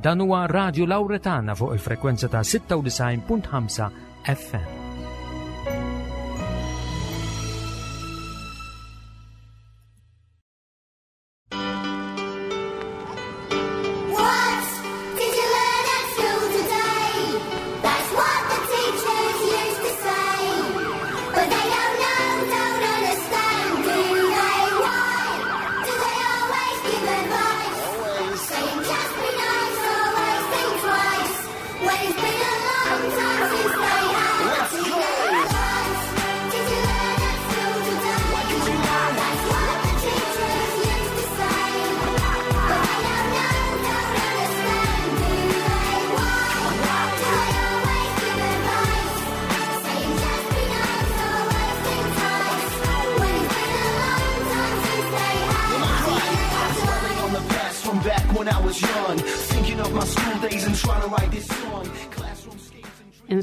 Dan huwa Radio Lauretana fuq il-frekwenza ta' 96.5 FM.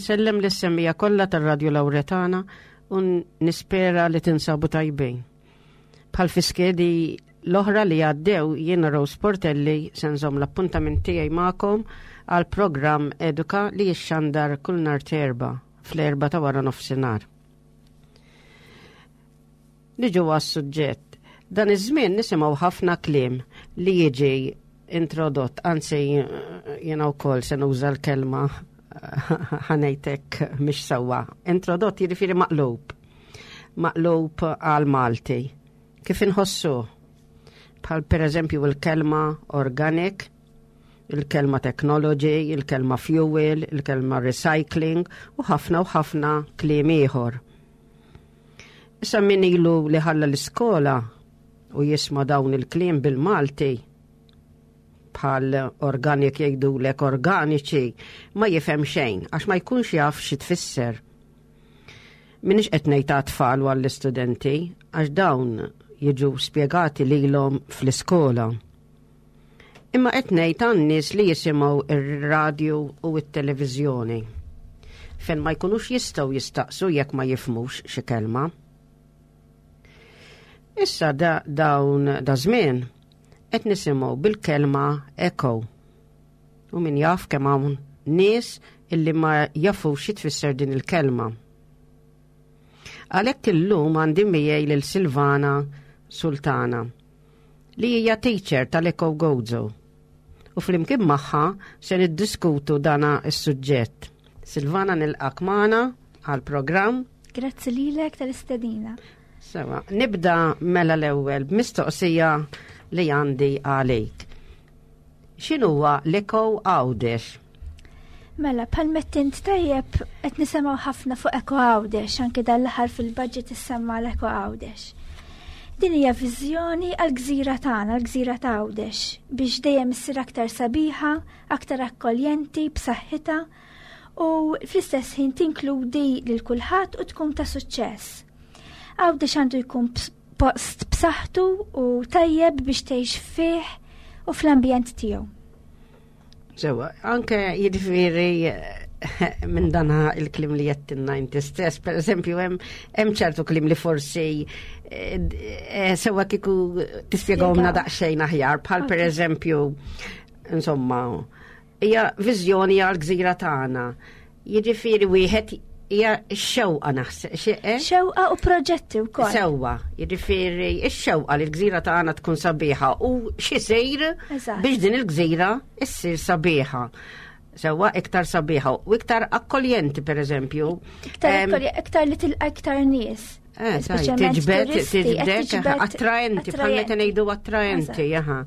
Insellem lis-semmija kollha tar-Radju Lawretana u nispera li tinsabu tajbin. Bħal fi skedi l-oħra li għaddew jiena Rose Portelli se nżomm l-appuntament tiegħi magħkom għal programm Eduka li jixxandar kull nhar terba fl-erba ta' wara nofsinhar. Niġu għas-suġġett. Dan iż-żmien nisimgħu ħafna kliem li jiġi introdott, anzi jiena wkoll se nuża l-kelma ħanejtek mhix sewwa. Introdott jiġifieri maqlub. Maqlub għal Malti. Kif inħossu? Bħal pereżempju il-kelma organic, il-kelma technology, il-kelma fuel, il-kelma recycling u ħafna u ħafna kliem ieħor. Issa min ilu li ħalla l-iskola u jisma' dawn il-kliem bil-Malti bħal organik jgħidulek organiċi ma jifhem xejn għax ma jkunx jaf xi tfisser. Minix qed ngħid għat-tfal u għall-istudenti għax dawn jiġu spjegati lilhom fl-iskola. Imma qed ngħid għan-nies li jisimgħu ir-radju u t-televiżjoni fejn ma jkunux jistgħu jistaqsu jekk ma jifhmux xi kelma. Issa da dawn da żmien qed nisimgħu bil-kelma eco. U min jaf kemm hawn nies illi ma jafux xi tfisser din il-kelma. Għalhekk illum għandi miegħi lil Silvana Sultana li hija teacher tal-Eco Gozo. U flimkien magħha se niddiskutu dana s-suġġett. Silvana nilqak magħna għall-programm. Grazzi lilek tal-istedina. Sewa, nibda mela l-ewwel b'mistoqsija li għandi għalik. X'inhuwa l-Eco Għawdex? Mela, bħal mettint tajjeb qed nisimgħu ħafna fuq Eko Għawdex, anke dan l-aħħar fil-budget issemma l-Eko Għawdex. Din hija viżjoni għall-gżira tagħna, l-gżira ta' Għawdex, biex dejjem issir aktar sabiħa, aktar akkoljenti, b'saħħitha u fl-istess ħin tinkludi lil kulħadd u tkun ta' suċċess. Għawdex għandu jkun post b'saħħtu u tajjeb biex tgħix fih u fl-ambjent tiegħu. Sewa, anke jiġifieri minn dan il-klim li jettinna inti stess, per eżempju, hemm ċertu klim li forsi eh, eh, sewa kiku tispjegawna daqsxejn aħjar, bħal per eżempju, insomma, hija viżjoni għal gżira tagħna. Jiġifieri wieħed hija x-xewqa naħseb. Eh? Xewqa u proġetti wkoll. Sewwa, jiġifieri x-xewqa li l-gżira tagħna tkun sabiħa u x'isir biex din il-gżira issir sabiħa. Sewwa iktar sabiħa u iktar akkoljenti pereżempju. Iktar iktar li tilqa' iktar nies. Eh, tiġbed, tiġbed, attraenti, bħal meta ngħidu attraenti, jaha.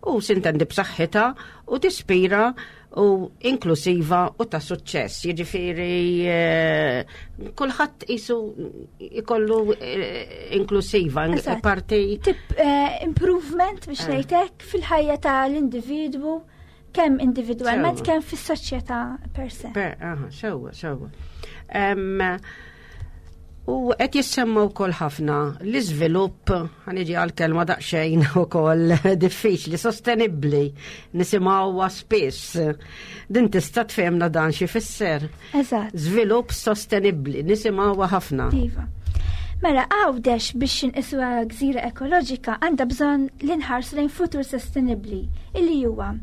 U sintendi b'saħħitha u tispira u inklusiva u ta' suċċess. Jiġifieri eh, kulħadd isu ikollu eh, inklusiva, parti. Tip eh, improvement biex ngħidlek fil-ħajja tal-individwu kemm individwalment kemm fis-soċjetà per se. Sewwa, sewwa. U qed jissemma wkoll ħafna l-iżvilupp, ħaniġi għal-kelma daqsxejn ukoll diffiċli, sostenibbli, nisimgħuha spiss. Din tista' tfehmna dan xi fisser. Eżatt. Żvilupp sostenibbli, nisimgħuha ħafna. Iva. Mela Għawdex biex inqisuha gżira ekoloġika għandha bżonn li nħarsu lejn futur sostenibbli illi huwa.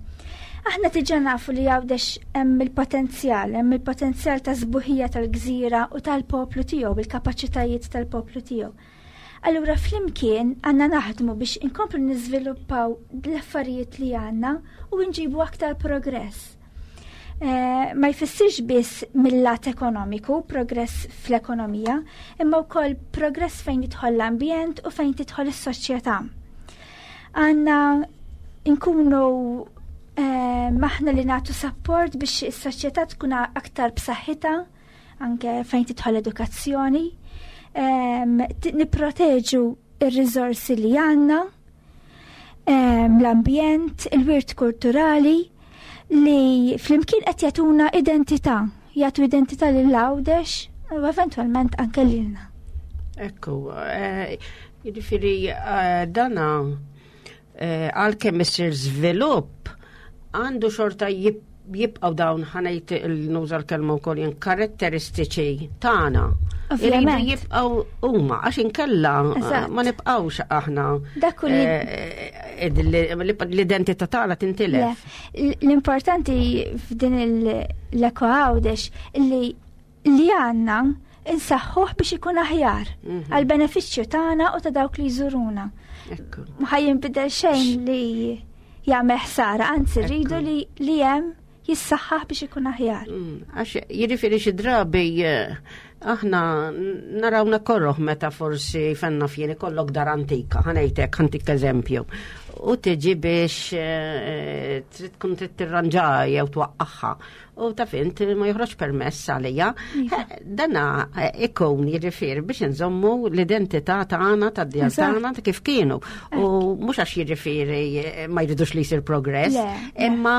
Aħna diġà nafu li Għawdex hemm il-potenzjal, hemm il-potenzjal ta' sbuħija tal-gżira u tal-poplu tiegħu, il-kapaċitajiet tal-poplu tiegħu. Allura flimkien għandna naħdmu biex inkomplu niżviluppaw l-affarijiet li għandna u nġibu aktar progress. Eh, ma jfissirx biss mill-lat ekonomiku, progress fl-ekonomija, imma wkoll progress fejn jidħol l-ambjent u fejn tidħol is-soċjetà. Għandna nkunu eh, maħna li nagħtu support biex is-soċjetà tkun aktar b'saħħitha anke fejn tidħol edukazzjoni, nipproteġu ir-riżorsi li għandna, l-ambjent, il-wirt kulturali li flimkien qed jagħtuna identità, jagħtu identità lil Għawdex u eventwalment anke lilna. Ekku, eh, jiġifieri eh, dana eh, għalkemm isir żvilupp għandu xorta jibqgħu dawn ħanejt il-nuża l-kelma wkoll jien karatteristiċi tagħna. Iridu jibqgħu huma għax inkella eh, ma nibqgħux aħna. Dak eh, l-identità tagħna tintilef. L-importanti f'din l-eko għawdex li li għandna insaħħuh biex ikun aħjar mhm. għal benefiċċju tagħna u ta' dawk li jżuruna. Ma jinbidel xejn li jagħmel ħsara, anzi rridu li li hemm jissaħħaħ biex ikun aħjar. Mm, għax jiġifieri xi drabi eh, aħna narawna korroħ meta forsi fenna fjeni kollok dar antika, ħanejtek, ħantik eżempju. U tiġi biex eh, trid tkun trid tirranġa jew twaqqaħħa. U taf int ma joħroġ permess għalija. Iva. Dana eh, ikun jiġifieri biex nżommu l-identità tagħna tad-djar tagħna ta' kif kienu. U mhux għax jiġifieri eh, ma jridux li jsir progress, imma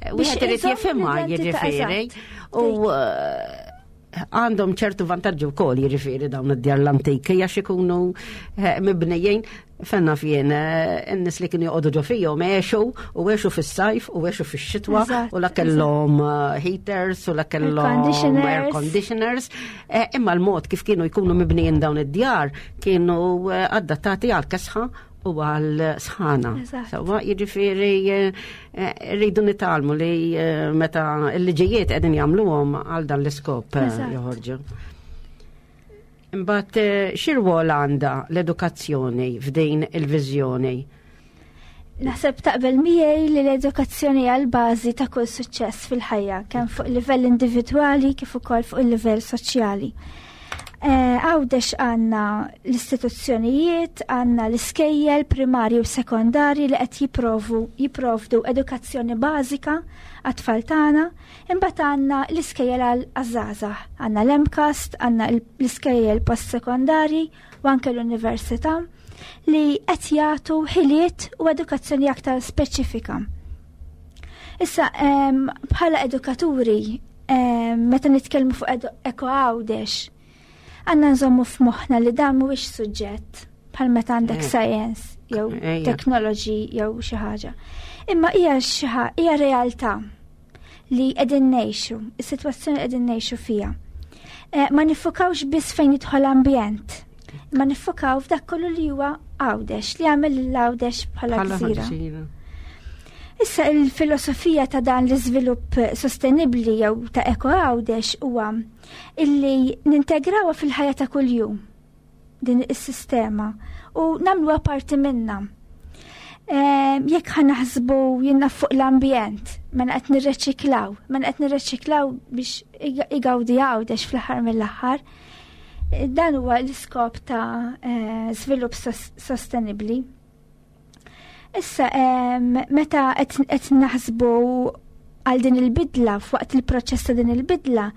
eh, wieħed irid jifhimha jiġifieri. U għandhom ċertu vantaġġi wkoll jiġifieri dawn id-djar l-antiki għax ikunu eh, mibnijin fenna fien eh, n-nies li kienu joqogħdu ġo fihom għexu u għexu fis-sajf u għexu fix-xitwa u la kellhom eh, heaters u la kellhom air conditioners. Imma l-mod kif kienu jkunu mibnijin dawn id-djar kienu adattati għal kesħa u għal sħana. Sawa, jiġifieri eh, eh, rridu nitalmu li eh, meta l-liġijiet qegħdin jagħmluhom għal dan l-iskop joħorġu. Imbagħad x'irwol għandha l-edukazzjoni f'din il-viżjoni? Naħseb taqbel miegħi li l-edukazzjoni hija l-bażi ta' kull suċċess fil-ħajja, kemm fuq livell individwali kif ukoll fuq il-livell soċjali. Eh, għawdex għanna l-istituzzjonijiet, għanna l-iskejjel primarji u sekondari li qed jiprovu jiprovdu edukazzjoni bażika għat-tfal tagħna, imbagħad għandna l-iskejjel għal għażażagħ, għandna l-MCAST, għandna l-iskejjel post-sekondari u anke l-università li qed jagħtu ħiliet u edukazzjoni aktar speċifika. Issa, bħala edukaturi, meta nitkellmu fuq eko għawdex, għandna nżommu f'moħħna li dan mhuwiex suġġett bħal meta għandek eh. science jew technology jew xi ħaġa. Imma hija xi hija realtà li qegħdin ngħixu, is-sitwazzjoni qegħdin ngħixu fiha. Eh, ma nifukawx biss fejn jidħol ambjent, ma nifukaw f'dak kollu li huwa Għawdex, li għamel l-Għawdex bħala gżira. Issa il-filosofija ta' dan l-iżvilupp sostenibli jew ta' eko Għawdex huwa illi nintegrawha fil-ħajja ta' kuljum din is-sistema u nagħmluha parti minna. Ehm, jekk ħa naħsbu jinnna fuq l-ambjent, mela qed nirreċiklaw, mela qed nirreċiklaw biex igawdi għawdex fl-aħħar mill-aħħar. Dan huwa l-iskop ta' eh, żvilupp sostenibbli. Issa, meta qed naħsbu għal din il-bidla, f'waqt il-proċess ta' din il-bidla,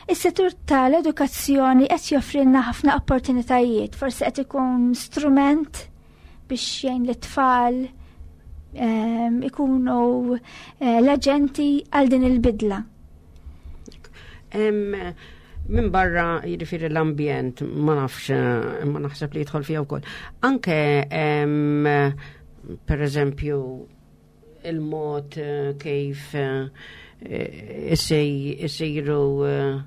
is-settur tal-edukazzjoni qed joffrilna ħafna opportunitajiet, forsi qed ikun strument biex jgħin lit-tfal ikunu eh, l-aġenti għal din il-bidla. Minn barra jiġifieri l-ambjent ma nafx ma naħseb li jidħol fiha wkoll. Anke per eżempju il-mod eh, kif eh, isiru eh,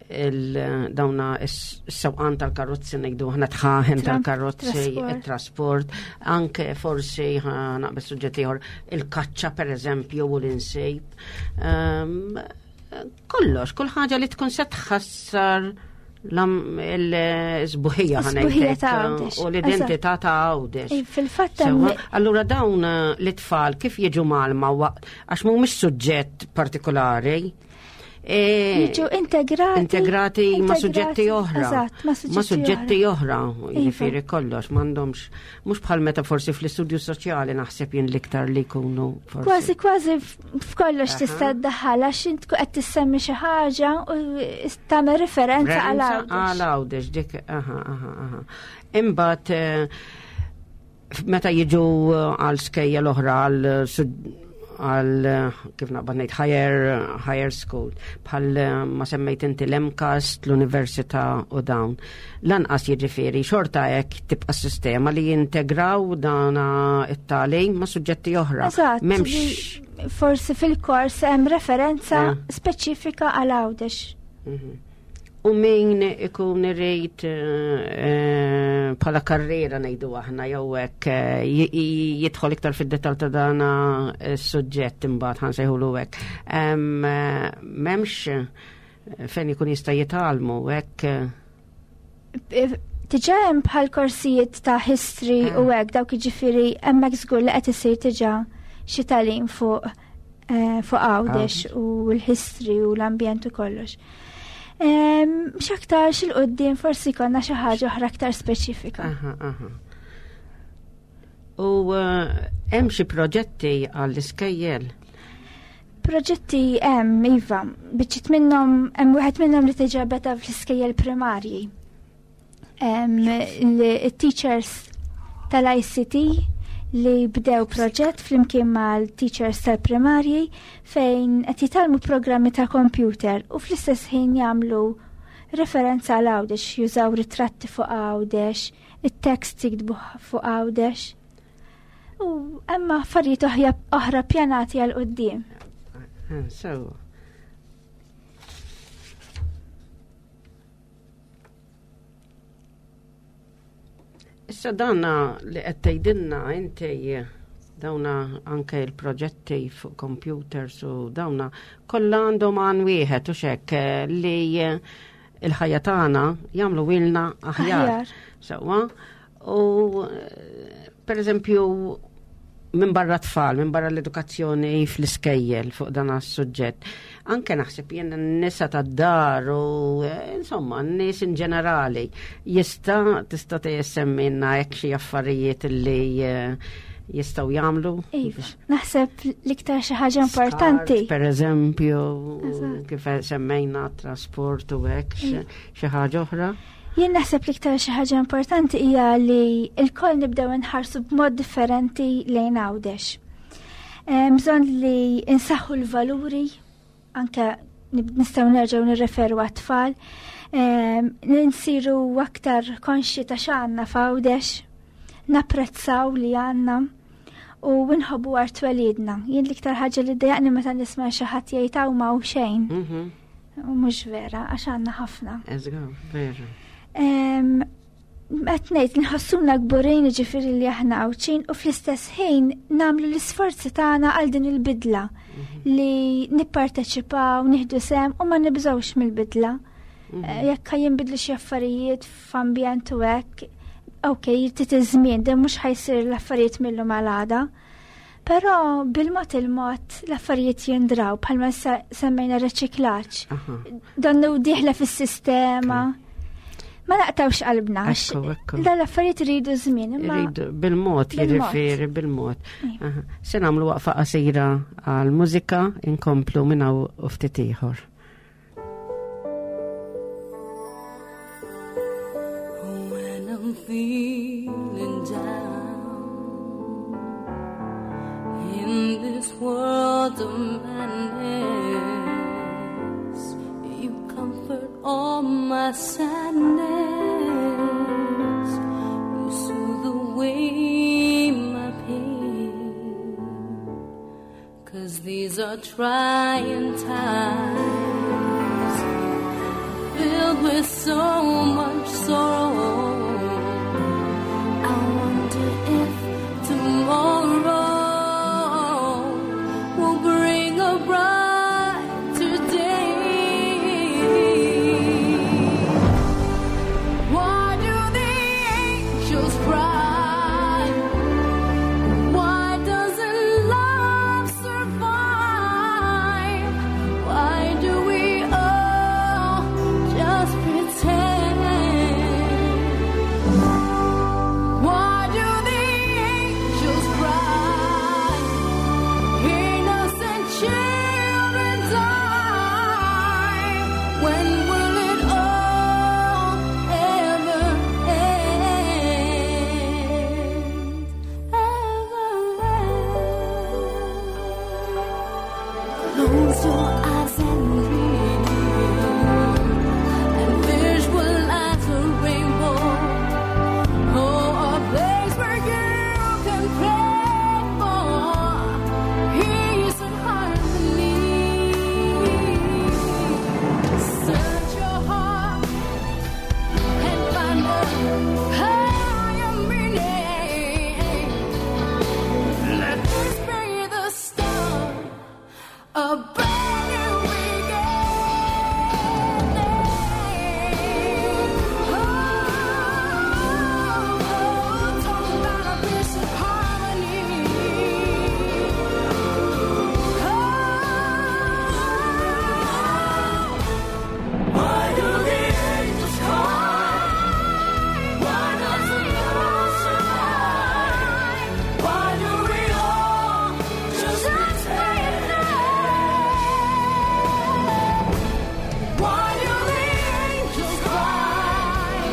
Dawna s-sewqan tal-karozzi ngħidu aħna tħaħen tal-karozzi, it-trasport, anke forsi naqbel suġġett ieħor il-kaċċa pereżempju u l-insejb. Ehm, kollox, kull ħaġa li tkun se tħassar l-sbuħija ħanejtek u l-identità ta' Għawdex. Fil-fatt Allura dawn eh, l-itfal kif jiġu malma waqt għax mhumiex suġġett partikolari. E, jiġu integrati. Integrati ma' suġġetti oħra. Eżatt, ma' suġġetti oħra. Iva. Jiġifieri kollox, m'għandhomx mhux bħal meta forsi fl-istudju soċjali naħseb jien l-iktar li jkunu forsi. Kważi kważi f'kollox tista' ddaħħal għax int qed tissemmi xi ħaġa u tagħmel referenza għal Għawdex. Għal Għawdex dik aha aha aha. Imbagħad eh, meta jiġu eh, għal skejja l-oħra għal għal kif naqbad ngħid higher, higher school bħal eh, ma semmejt inti l-MCAST, l-Università u dawn. Lanqas jiġifieri xorta hekk tibqa' sistema li jintegraw dana it-tagħlim ma' suġġetti oħra. Eżatt. M'hemmx forsi fil-kors hemm referenza eh. speċifika għal Għawdex. Mhm. U min ikun irrid eh, bħala karriera ngħidu aħna jew hekk eh, jidħol iktar fid-dettall ta' dana s-suġġett imbagħad ħansejħulu hekk. Eh, m'hemmx fejn ikun jista' jitgħallmu hekk. Diġà hemm bħal korsijiet ta' history u hekk dawk jiġifieri hemmhekk żgur li qed isir diġà xi tagħlim fuq Eh, fuq Għawdex u l-history u l-ambjent u kollox. X'aktar xil-qoddim forsi konna xi ħaġa oħra aktar speċifika. U eh, hemm xi proġetti għall-iskejjel? Proġetti hemm, iva, biċċiet minnhom hemm wieħed minnhom li tiġa beda fl-iskejjel primarji. Il-teachers tal-ICT li bdew proġett flimkien mal-teachers tal-primarji fejn qed jitgħallmu programmi ta' computer u fl-istess ħin jagħmlu referenza għal Għawdex, jużaw ritratti fuq Għawdex, it-tekst jiktbu fuq Għawdex. U hemm affarijiet oħra pjanati għal quddiem. Eh, so, Issa dana li qed tgħidilna inti dawna anke il-proġetti fuq computers u dawna kollha għandhom għan wieħed u xek eh, li eh, il-ħajja tagħna jagħmlu wilna aħjar. Sewwa. U eh, per eżempju minn barra tfal, minn barra l-edukazzjoni fl-iskejjel fuq dan is-suġġett. Anke naħseb jien n-nisa tad-dar u eh, insomma n-nies in ġenerali jista' tista' tgħissemmilna hekk xi affarijiet li eh, jistgħu jagħmlu. Iva, naħseb l-iktar xi ħaġa importanti. Per eżempju, kif semmejna trasport u hekk iva. xi ħaġa oħra. Jien naħseb l-iktar xi ħaġa importanti hija li l-koll nibdew inħarsu b'mod differenti lejn Għawdex. Bżonn li insaħħu l-valuri anke nistgħu nerġgħu nirreferu għat-tfal, nsiru aktar konxji ta' x'għandna f'Għawdex, napprezzaw li għandna u nħobbu art twelidna. Jien l-iktar ħaġa li ddejjaqni meta nisma' xi ħadd jgħid hawn ma xejn. Mhm. U mhux vera, għax għandna ħafna. Eżga, vera. Qed ngħid nħossuna kburin jiġifieri li aħna Għawdxin u fl-istess ħin nagħmlu l-isforzi tagħna għal din il-bidla mhm. li nipparteċipaw, nieħdu sem u ma nibżgħux mill-bidla. Mhm. Eh, jekk jinbidlu xi affarijiet f'ambjent u hekk, ok, jrid iż-żmien, din mhux ħajsir l-affarijiet millu mal-għada. Però bil-mod il-mod l-affarijiet jindraw bħalma semmejna reċiklaġġ. Donnu diħla fis-sistema. Ma naqtawx qalbna. Dan l-affarijiet iridu żmien. Iridu bil-mod, jiġifieri bil-mod. Iva. Se nagħmlu waqfa qasira għal mużika inkomplu minn hawn ftit ieħor. When I'm feeling down in this world of madness, you comfort all my sadness. You soothe away my pain. Cause these are trying times. filled with so much sorrow. I wonder if tomorrow will bring a brighter day. Why do the angels cry? Why doesn't love survive? Why do we all just pretend? Why do the angels cry? Innocent children die. When will it all ever end? Ever end? Close your eyes and dream, and visualize a rainbow. Oh, a place where you can pray for peace and harmony. Search your heart and find a higher meaning. Let this be the start a brand new beginning. Oh, talk about a peace and harmony. Oh, why do the angels cry? Why doesn't love survive? Why do we all just pretend? Why do the angels cry?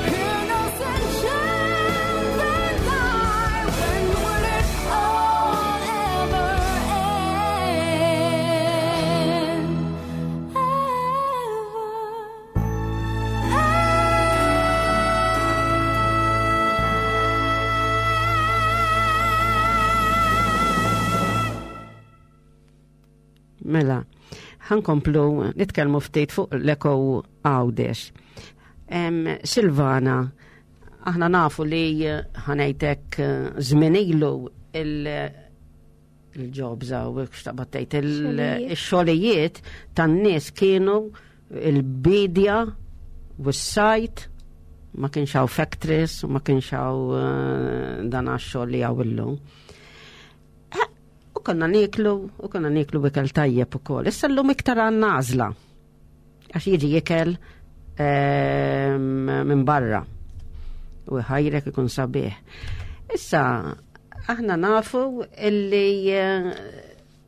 Innocent children die. When will it all ever end? Ever. Mela, ħankomplu nitkellmu ftit fuq l-Eko Għawdex. Silvana, aħna nafu li ħanejtek żmien ilu il-jobs għaw, xtaqbattejt, Xogħlijiet. il-xogħlijiet tan-nies kienu il-bidja u s-sajt, ma kienx hawn factories, u ma kienx hawn dan għax-xogħol li hawn illum. U konna niklu, u konna niklu ikel tajjeb ukoll. Issa llum iktar għandna għażla. Għax jiġi ikel minn barra. U ħajrek ikun sabiħ. Issa, aħna nafu illi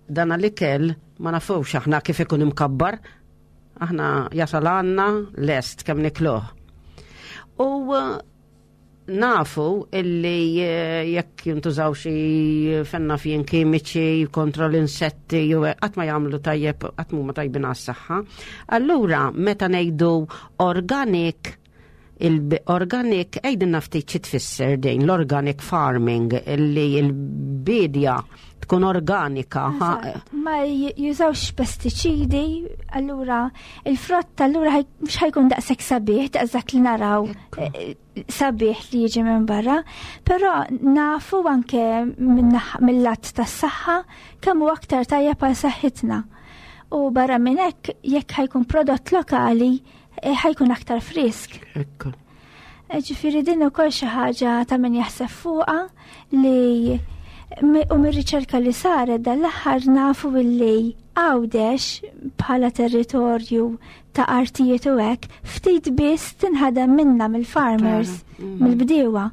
dan l-ikel ma nafux aħna kif ikun imkabbar. Aħna jasal għandna lest kemm nikluh. U nafu illi jekk jintużaw xi fenna fien kimiċi kontra l-insetti jew qatt ma jagħmlu tajjeb, qatt mhuma tajbin għas-saħħa. Allura meta ngħidu organic, il-organic għidilna ftit xi tfisser din l-organic farming, illi l-bidja tkun organika. Eżatt. Ma jużawx pestiċidi, allura il-frott allura mhux ħajkun daqshekk sabiħ, daqs dak li naraw, sabiħ li jiġi minn barra, però nafu anke mill-lat tas-saħħa kemm hu aktar tajjeb għal saħħitna. U barra minn hekk jekk ħajkun prodott lokali, ħajkun aktar frisk. Ġifieri din ukoll xi ħaġa ta' min jaħseb fuqha li u mir-riċerka li saret dal-aħħar nafu illi Għawdex bħala territorju ta' artijiet u hekk ftit biss tinħadem minna mill-farmers, mill-bdiewa.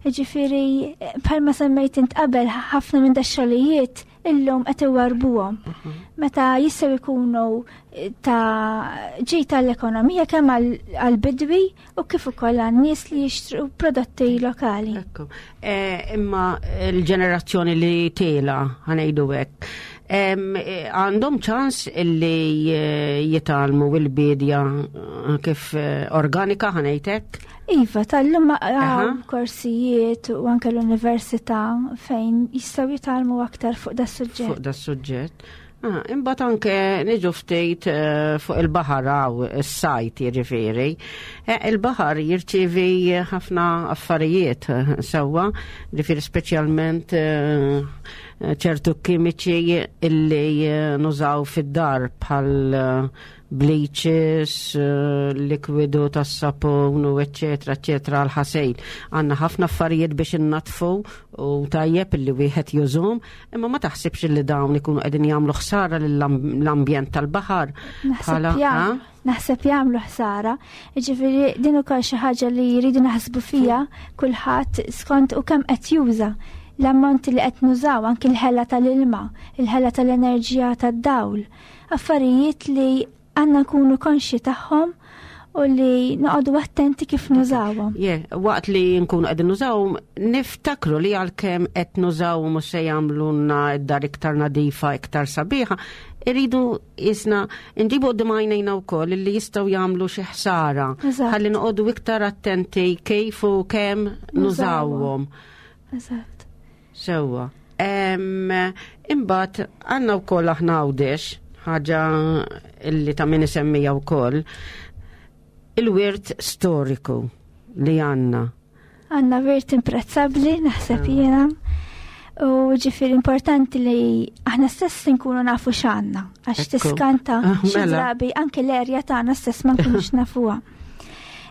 Ġifieri bħalma semmejt int qabel, ħafna minn dax-xogħlijiet illum qed iwarbuhom. Meta jistgħu jkunu ta' ġid tal-ekonomija kemm għall-bidwi u kif ukoll għan-nies li jixtru prodotti lokali. Ekku. Imma l-ġenerazzjoni li tela, ħanejdu hekk, għandhom ċans illi jitgħallmu il-bidja kif organika ħanejtek? Iva, tal-lum hawn korsijiet u anke l-università fejn jistgħu jitgħallmu aktar fuq da suġġett. Fuq da suġġett. Ah, imbagħad anke niġu ftit eh, fuq il-baħar hawn is-sajt jiġifieri. Eh, il-baħar jirċievi ħafna affarijiet eh, sewwa, ġifieri speċjalment ċertu kimiċi illi nużaw fid-dar bħal bleaches, eh, likwidu tas-sapun u eċċetera eċċetera għal-ħasejl. Għandna ħafna affarijiet biex innatfu u tajjeb illi wieħed jużhom, imma ma taħsibx li dawn ikunu qegħdin jagħmlu ħsara lill-ambjent tal-baħar. Naħseb jagħmlu ħsara. Ġifieri din ukoll xi ħaġa li jridu naħsbu fija kulħadd skont u kemm qed juża l-ammonti li qed nużaw anki l-ħela tal-ilma, il-ħela tal-enerġija tad-dawl affarijiet li għandna nkunu konxji tagħhom u li noqogħdu attenti kif nużawhom. Yeah, waqt li nkunu qegħdin nużawhom, niftakru li għalkemm qed nużawhom u se jagħmlulna d-dar iktar nadifa, iktar sabiħa, irridu jisna nġibu qudiem għajnejna wkoll li jistgħu jagħmlu xi ħsara. Ħalli noqogħdu iktar attenti kif u kemm nużawhom. Eżatt. Sewwa. Imbagħad għandna wkoll aħna Għawdex, ħaġa illi ta' min isemmija wkoll, il-wirt storiku li għandna. Għandna wirt imprezzabbli, naħseb ah. jiena. U ġifir importanti li aħna stess nkunu nafu x'għandna, għax tiskanta ah, xi mela. drabi anke l-erja tagħna stess ma nkunux nafuha.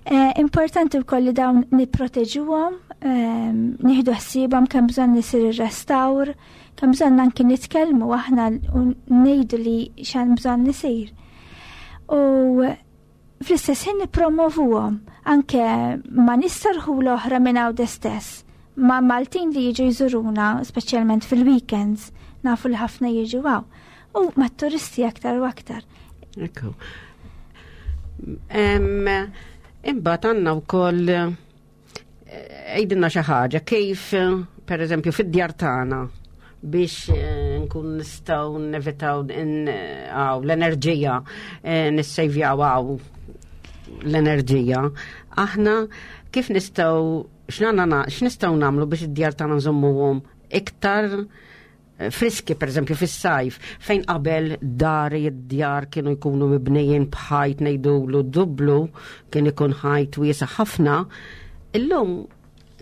Eh, importanti wkoll li dawn nipproteġuhom, ehm, nieħdu ħsiebhom kemm bżonn isir ir-restawr, kemm bżonn anki nitkellmu aħna u ngħidu li x'hemm bżonn isir. U fl-istess ħin nippromovuhom anke ma nistarħu l-oħra minn hawn stess. Ma' Maltin li jiġu jżuruna, speċjalment fil-weekends, nafu li ħafna jiġu għaw. U ma' turisti aktar u aktar. Ekku. Imbagħad għandna wkoll eh, għidilna xi ħaġa kif per eżempju fid-djar tagħna biex eh, nkun nistgħu nevitaw l-enerġija eh, nissejvjaw għaw l-enerġija. Aħna kif nistgħu x'nistgħu nagħmlu biex id-djar tagħna nżommuhom iktar friski pereżempju fis-sajf fejn qabel dar id-djar kienu jkunu mibnijin b'ħajt ngħidulu dublu kien ikun ħajt wiesa' ħafna, illum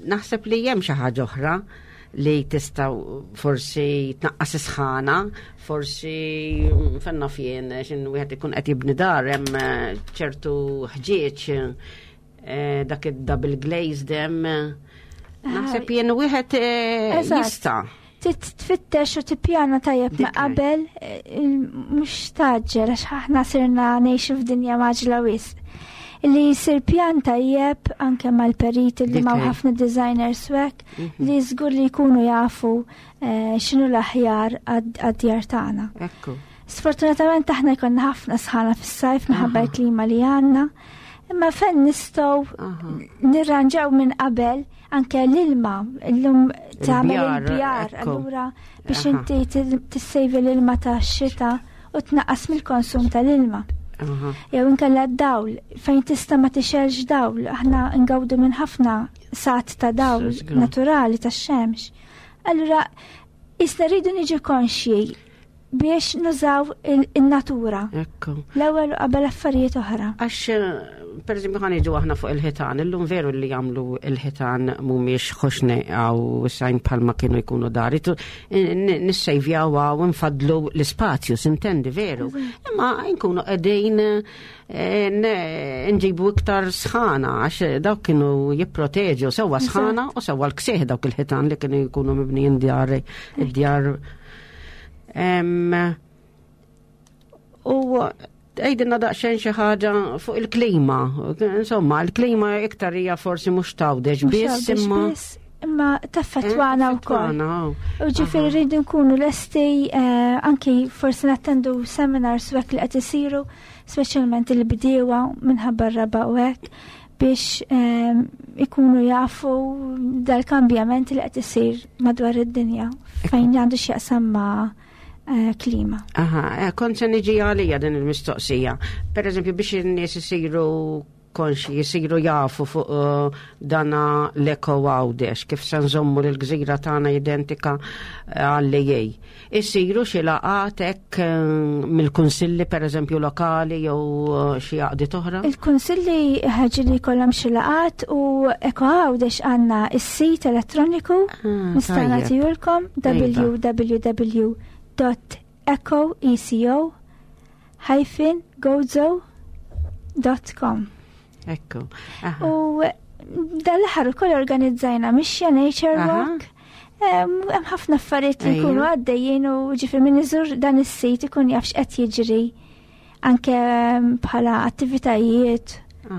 naħseb li hemm xi ħaġa oħra li tista' forsi tnaqqas is-sħana, forsi fenna fien xin wieħed ikun qed jibni dar hemm eh, ċertu ħġieġ eh, dak id-double glazed hemm. Naħseb jien wieħed eh, jista'. Titfittex u tippjana tajjeb ma' qabel eh, mhux taġġel għax aħna sirna ngħixu f'dinja maġla wisq. Li jsir pjan tajjeb anke mal-periti li ma' ħafna designers wek mhm. li żgur li jkunu jafu eh, x'inhu l-aħjar għad-djar tagħna. Ekku. Sfortunatament aħna jkollna ħafna sħana fis-sajf minħabba l-klima li għandna. Imma fejn nistgħu nirranġaw minn qabel anke l-ilma, l-lum tagħmel il-bjar, allura biex inti tissejvi l-ilma ta' xita u tnaqqas mill-konsum tal-ilma. Jew inkella d-dawl, fejn tista' ma tixelx dawl, aħna ngawdu minn ħafna sat ta' dawl naturali tax-xemx. Allura, isna rridu niġu konxji biex nużaw il-natura. Ekku. L-ewwel qabel affarijiet oħra. Għax, eh, per eżempju, ħan iġu aħna fuq il-ħitan, illum veru li jagħmlu il-ħitan mhumiex ħoxni għaw sajn bħalma kienu jkunu dari. Nissejvjaw għaw nfadlu l-ispazju, sintendi veru. Imma nkunu qegħdin eh, nġibu iktar sħana għax dawk kienu jipproteġu sewwa sħana u sewwa l-ksieħ dawk il-ħitan li kienu jkunu mibnijin djar id-djar U għidilna daqsxejn xi ħaġa fuq il-klima. Insomma, il-klima iktar hija forsi mhux tawdex biss imma. Imma taffettwana eh, wkoll. U ġifieri rridu nkunu lesti eh, anki forsi nattendu seminars u hekk li qed isiru, speċjalment il-bdiewa minħabba r-raba u hekk biex ehm, ikunu jafu dal-kambjament li qed isir madwar id-dinja fejn għandu x'jaqsam ma' eh, klima. Aha, eh, kont se niġi għalija din il-mistoqsija. Per eżempju, biex in-nies isiru konxi jisiru jafu fuq dana l-Eko Għawdex, kif se nżommu l-gżira tagħna identika għall-EA. Isiru xi laqgħat hekk mill-kunsilli pereżempju lokali jew xi għaqdiet oħra? Il-kunsilli ħaġi li jkollhom xi laqgħat u Eko Għawdex għandna is-sit elettroniku nista' nagħtihulkom www.ecoeco-gozo.com. Ekku. U dal-aħħar ukoll organizzajna mixja Nature Walk. Hemm ħafna affarijiet li jkunu għaddejjin u ġifier min iżur dan is-sit ikun jaf x'qed jiġri anke bħala attivitajiet u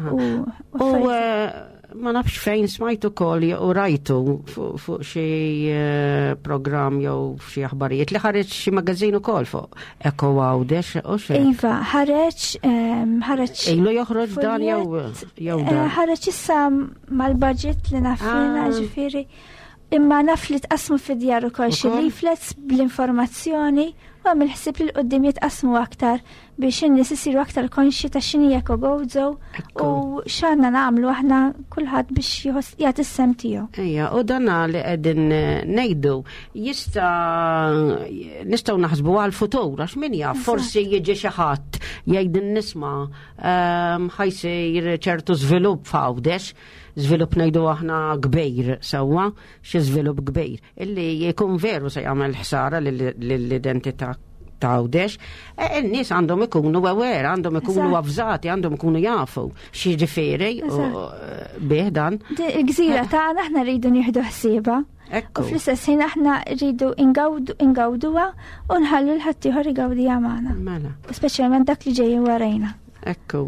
affarijiet. Ma nafx fejn smajtu ukoll u rajtu fuq xi programm jew xi aħbarijiet li ħareġ xi magażin ukoll fuq Eko Għawdex u xi. Iva, ħareġ Ilu joħroġ dan jew dan? Ħareġ issa mal-budget li naf jiena, ġifieri. Imma naf li tqasmu fid-djar ukoll xi Ukoll? leaflets bl-informazzjoni u hemm il-ħsieb li l-qudiem jitqasmu aktar biex in-nies isiru aktar konxji ta' x'inhi Eko Gozo u x'għandna nagħmlu aħna kulħadd biex jagħti s-sem tiegħu. Ejja, u dana li qegħdin ngħidu nistgħu naħsbu għall-futur għax min jaf, forsi jiġi xi ħadd jgħid nisma' ħajsir ċertu żvilupp f'Għawdex, żvilupp ngħidu aħna kbir sewwa, xi żvilupp kbir illi jkun veru se jagħmel ħsara lill-identità ta' Għawdex. In-nies għandhom ikunu aware, għandhom ikunu avżati, għandhom ikunu jafu x'jiġifieri u, bih dan. Il-gżira tagħna aħna rridu nieħdu ħsiebha. U fl-istess ħin aħna rridu ingawduha u nħallu l-ħaddieħor igawdiha magħna. U speċjalment dak li ġejjin warajna. Ekku.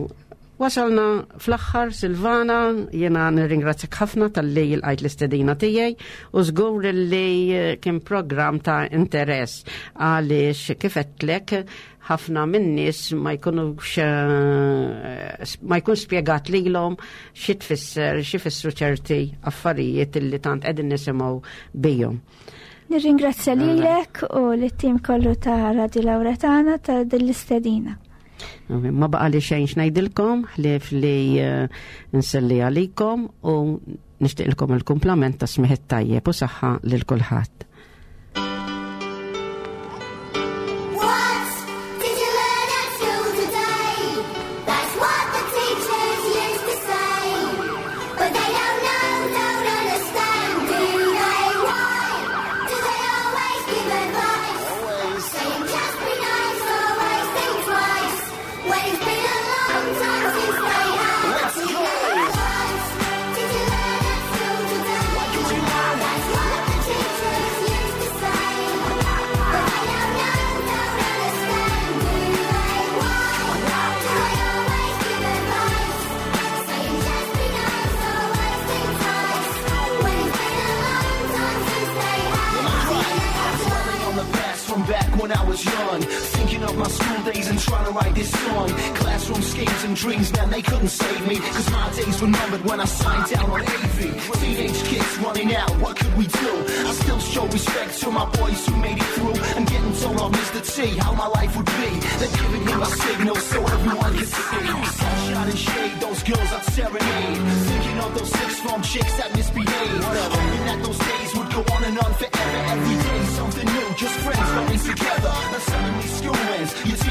Wasalna fl-aħħar, Silvana, jiena nirringrazzjak ħafna tal-li lqajt l-istedina tiegħi u żgur li kien programm ta' interess għaliex kif għedtlek ħafna min-nies ma jkunux ma jkun spjegat lilhom xi tfisser, xi fissru ċerti affarijiet illi tant qegħdin nisimgħu bihom. Nirringrazzja lilek u lit-tim kollu ta' Radio Lauretana ta' din l-istedina. Ma baqa li xejn x'ngħidilkom, ħlief li nselli għalikom u nixtieqilkom il-kumplament ta' smigħ tajjeb u saħħa lil kulħadd. What did you learn at school today? That's what the teachers used to say. But they don't know, don't understand, do they? Why do they always give advice? Saying just be nice, always think twice. When it's been a long time since they had. Let's go! What did you learn at school today? What did you learn? That's what the teachers used to say. But they don't know, don't understand, do they? Why do they always give advice? Saying just be nice, always think twice. When it's been a long time since they had. Dwelling on the past from back when I was young, thinking of my school days and trying to write this song. Classroom schemes and dreams, man, they couldn't save me, because my days were numbered when I signed down on AV. Teenage kids running out, what could we do? I still show respect to my boys who made it through, and getting told off Mr. T how my life would be. They're giving me my signal so everyone could see. Sunshine and shade, those girls I'd serenade. Thinking of those sixth form chicks that misbehaved. Hoping that those days would go on and on forever. Every day something new, just friends going together. Now suddenly school ends, you're